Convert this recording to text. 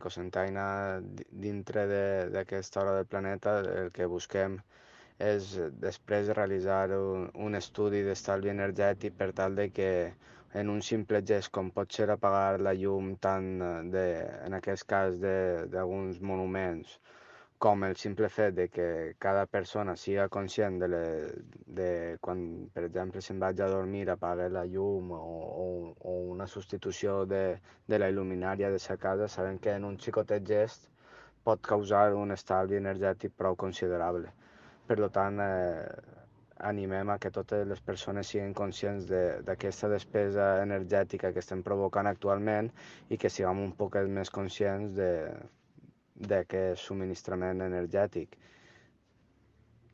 Cosentaina, dintre d'aquesta hora del planeta, el que busquem és després realitzar un estudi d'estalvi energètic per tal de que en un simple gest com pot ser apagar la llum tant en aquest cas d'alguns monuments com el simple fet de que cada persona siga conscient de quan, per exemple, se'n vaig a dormir, apague la llum o una substitució de la il·luminària de sa casa, sabem que en un xicotet gest pot causar un estalvi energètic prou considerable. Per tant, animem a que totes les persones siguin conscients d'aquesta despesa energètica que estem provocant actualment i que siguem un poc més conscients d'aquest subministrament energètic.